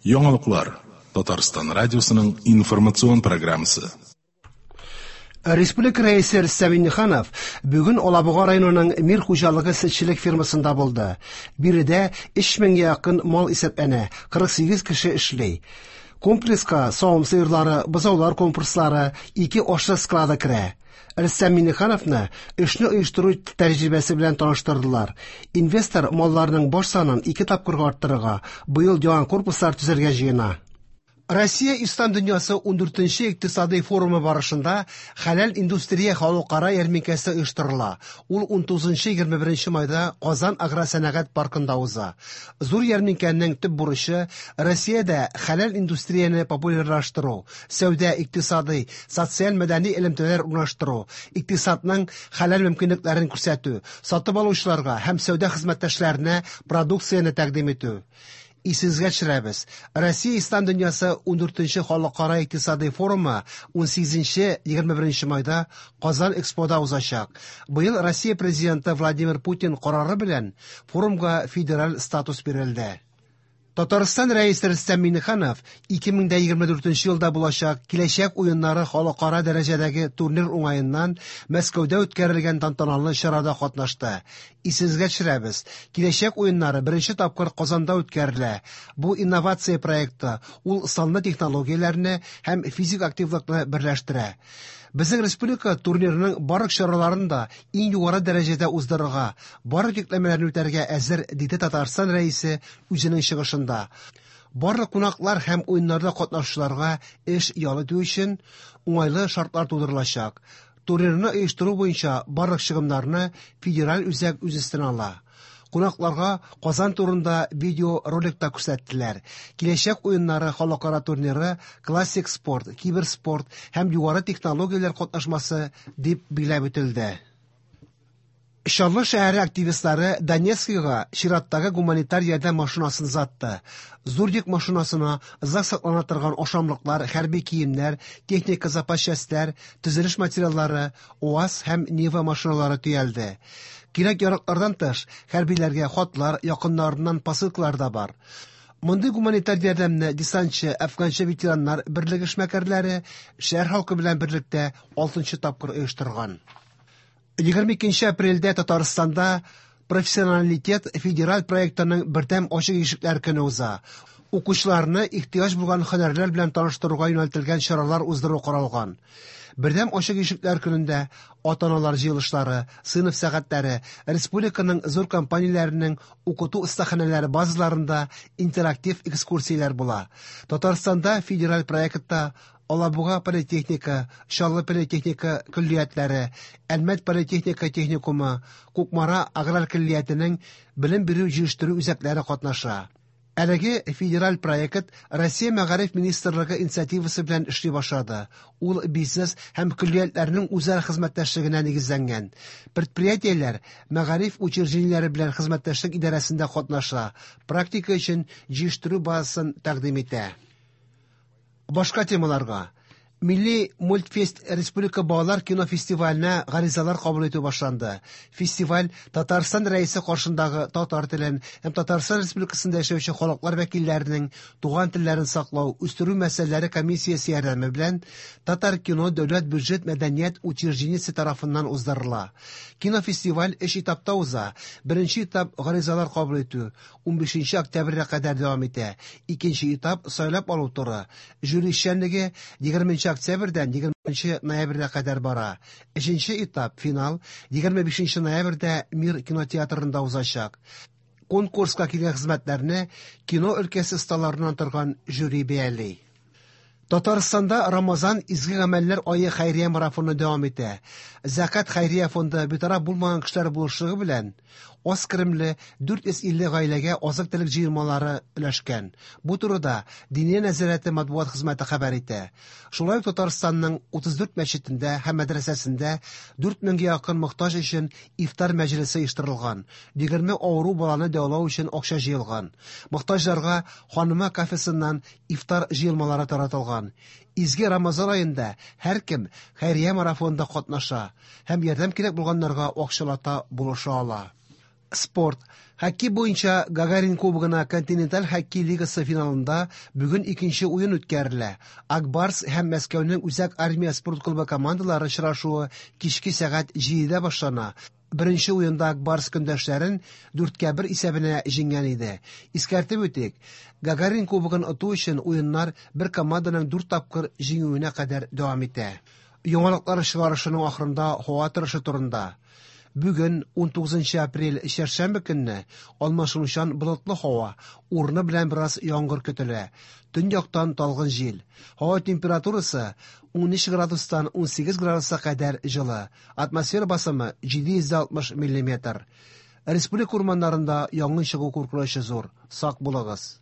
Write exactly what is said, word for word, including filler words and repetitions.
Яңалыклар Татарстан радиосының информацион программасы. Республика Рәисе Рөстәм Миңнеханов бүген Алабуга районының Мир хуҗалыгы сөтчелек фермасында булды. Биредә өч меңгә якын мал исәпләнә, кырык сигез кеше эшли. Комплекска савым сыерлары, бозаулар комплекслары, ике ашлык склады керә. Рөстәм Миңнехановны эшне оештыру тәҗрибәсе белән таныштырдылар. Инвестор малларның баш санын ике тапкырга арттырырга, быел яңа корпуслар төзергә җыена. Россия Ислам дөньясы ундүртенче икътисади форумы барышында хәләл индустрия халыкара ярминкәсе оештырыла. Ул унтугызынчы егерме беренче майда Казан агросәнәгать паркында уза. Зур ярминкәнең төп бурычы Россиядә хәләл индустрияне популярлаштыру, сәүдә, икътисади, социаль мәдәни элемтәләр урнаштыру, икътисадның хәләл мөмкинлекләрен күрсәтү, сатып алучыларга һәм сәүдә хезмәттәшләренә продукцияне тәкъдим итү. Исегезгә төшерәбез. Россия Ислам дөньясы ундүртенче халыкара икътисади форумы унсигезенче егерме беренче майда Казан Экспода узачак. Быел Россия президенты Владимир Путин карары белән форумга федераль статус бирелде. Татарстан Рәисе Рөстәм Миңнеханов ике мең дә егерме дүртенче елда булачак Киләчәк уеннары халыкара дәрәҗәдәге турнир уңаеннан Мәскәүдә үткәрелгән тантаналы чарада катнашты. Исегезгә төшерәбез. Киләчәк уеннары беренче тапкыр Казанда үткәрелә. Бу инновация проекты, ул санлы технологияләрне һәм физик активлыкны берләштерә. Безнең республика турнирының барлык чараларын да иң югары дәрәҗәдә уздырырга, барлык йөкләмәләрне үтәргә әзер, диде Татарстан Рәисе үзенең чыгышында. Барлык кунаклар һәм уеннарда катнашучыларга эш ял итү өчен уңайлы шартлар тудырылачак. Турнирны оештыру буенча барлык чыгымнарны федераль үзәк үз өстенә ала. Кунакларга Казан турында видеоролик та күрсәттеләр. Киләчәк уеннары халыкара турниры классик спорт, киберспорт һәм югары технологияләр катнашмасы дип билгеләп үтелде. Чаллы шәһәре активистлары Донецкига чираттагы гуманитар ярдәм машинасын озатты. Зур йөк машинасына озак саклана торган ашамлыклар, хәрби киемнәр, техника запас частьләр, төзелеш материаллары, УАЗ һәм Нива машиналары төялде. Кирәк яраклардан тыш, хәрбиләргә хатлар, якыннарыннан посылкалар да бар. Мондый гуманитар ярдәмне десантчы, әфганчы ветераннар берлеге эшмәкәрләре шәһәр халкы белән берлектә алтынчы тапкыр оештырган. Егерме икенче апрельдә Татарстанда Профессионалитет федераль проектының бердәм ачык ишекләр көне уза. Укучыларны ихтыяҗ булган һөнәрләр белән таныштыруга юнәлтелгән чаралар уздыру каралган. Бердәм ачык ишекләр көнендә ата-аналар җыелышлары, сыйныф сәгатьләре, республиканың зур компанияләренең укыту остаханәләре базаларында интерактив экскурсияләр була. Татарстанда федераль проектта Алабуга политехника, Чаллы политехника көллиятләре, Әлмәт политехника техникумы, Кукмара аграр көллиятенең белем бирү җыештыру үзәкләре катнаша. Әлеге федераль проект Россия Мәгариф Министрлыгы инициативасы белән эшли башлады. Ул бизнес һәм көллиятләрнең үзара хезмәттәшлегенә нигезләнгән. Предприятиеләр мәгариф учреждениеләре белән хезмәттәшлек идарәсендә катнаша, практика өчен җыештыру базасын тәкъдим итә. Башка темаларга. Милли мультфест Республика балалар кино фестиваленә гаризалар кабул итү башланды. Фестиваль Татарстан Рәисе каршындагы татар телен һәм Татарстан Республикасында яшәүче халыклар вәкилләренең туган телләрен саклау, үстерү мәсьәләләре комиссиясе ярдәме белән Татар кино дәүләт бюджет мәдәният учреждениесе тарафыннан уздырыла. Кинофестиваль өч этапта уза. Беренче этап гаризалар кабул итү унбишенче октябрьгә кадәр дәвам итә. Икенче этап сайлап алу туры. Жюри эшчәнлеге егерменче октябрьдән егерменче ноябрьгә кадәр бара. Өченче этап финал егерме бишенче ноябрьдә Мир кинотеатрында узачак. Конкурска килгән хезмәтләрне кино өлкәсе осталарыннан торган жюри бәяли. Татарстанда Рамазан изге гамәлләр ае хәйрия марафоны дәвам итә. Зәкат хәйрия фонды битараф булмаган кешеләр булышлыгы белән аз керемле дүрт йөз илле гаиләгә азык-төлек җыелмалары өләшкән. Бу турыда Диния нәзарәте матбугат хезмәте хәбәр итә. Шулай ук Татарстанның утыз дүрт мәчетендә һәм мәдрәсәсендә дүрт меңгә якын мохтаҗ өчен ифтар мәҗлесе оештырылган. Егерме авыру баланы дәвалау өчен акча җыелган. Мохтаҗларга Ханыма кафесыннан ифтар җыелмалары таратылган. Изге Рамазан аенда һәркем хәйрия марафонында катнаша һәм ярдәм кирәк булганнарга акчалата булыша ала. Спорт. Хоккей буенча Гагарин кубогына континенталь хоккей лигасы финалында бүген икенче уен үткәрелә. Ак Барс һәм Мәскәүнең Үзәк армия спорт клубы командалары очрашуы кичке сәгать җидедә башлана. Беренче уенда Ак Барс көндәшләрен дүрткә бер исәбенә җиңгән иде. Искәртеп үтик, Гагарин кубогын оту өчен уеннар бер команданың дүрт тапкыр җиңүенә кадәр дәвам итә. Яңалыклар чыгарышының ахырында һава торышы турында. Бүген унтугызынчы апрель чәршәмбе көнне алмашынучан болытлы һава, урыны белән бераз яңгыр көтелә. Төньяктан талгын җил. Һава температурасы унөч градустан унсигез градуска кадәр җылы. Атмосфера басымы җиде йөз алтмыш миллиметр. Республика урманнарында янгын чыгу куркынычы зур. Сак булыгыз.